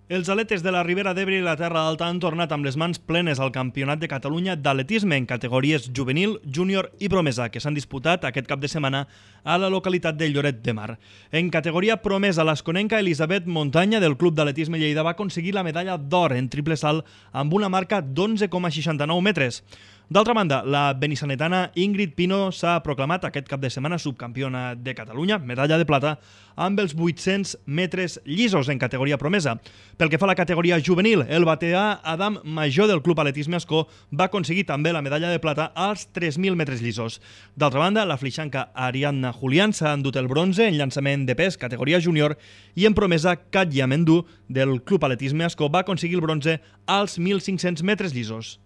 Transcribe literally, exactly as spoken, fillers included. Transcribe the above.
Els atletes de la Ribera d'Ebre i la Terra Alta han tornat amb les mans plenes al Campionat de Catalunya d'atletisme en categories juvenil, júnior i promesa, que s'han disputat aquest cap de setmana a la localitat de Lloret de Mar. En categoria promesa, l'esconenca Elisabet Montanya del Club d'Atletisme Lleida va aconseguir la medalla d'or en triple salt amb una marca d'onze coma seixanta-nou metres. D'altra banda, la benissanetana Ingrid Pino s'ha proclamat aquest cap de setmana subcampiona de Catalunya, medalla de plata, amb els vuit-cents metres llisos en categoria promesa. Pel que fa a la categoria juvenil, el bateà Adam Major del Club Atletisme Ascó va aconseguir també la medalla de plata als tres mil metres llisos. D'altra banda, la flixanca Ariadna Julián s'ha endut el bronze en llançament de pes categoria júnior i en promesa Katja Mendú del Club Atletisme Ascó va aconseguir el bronze als mil cinc-cents metres llisos.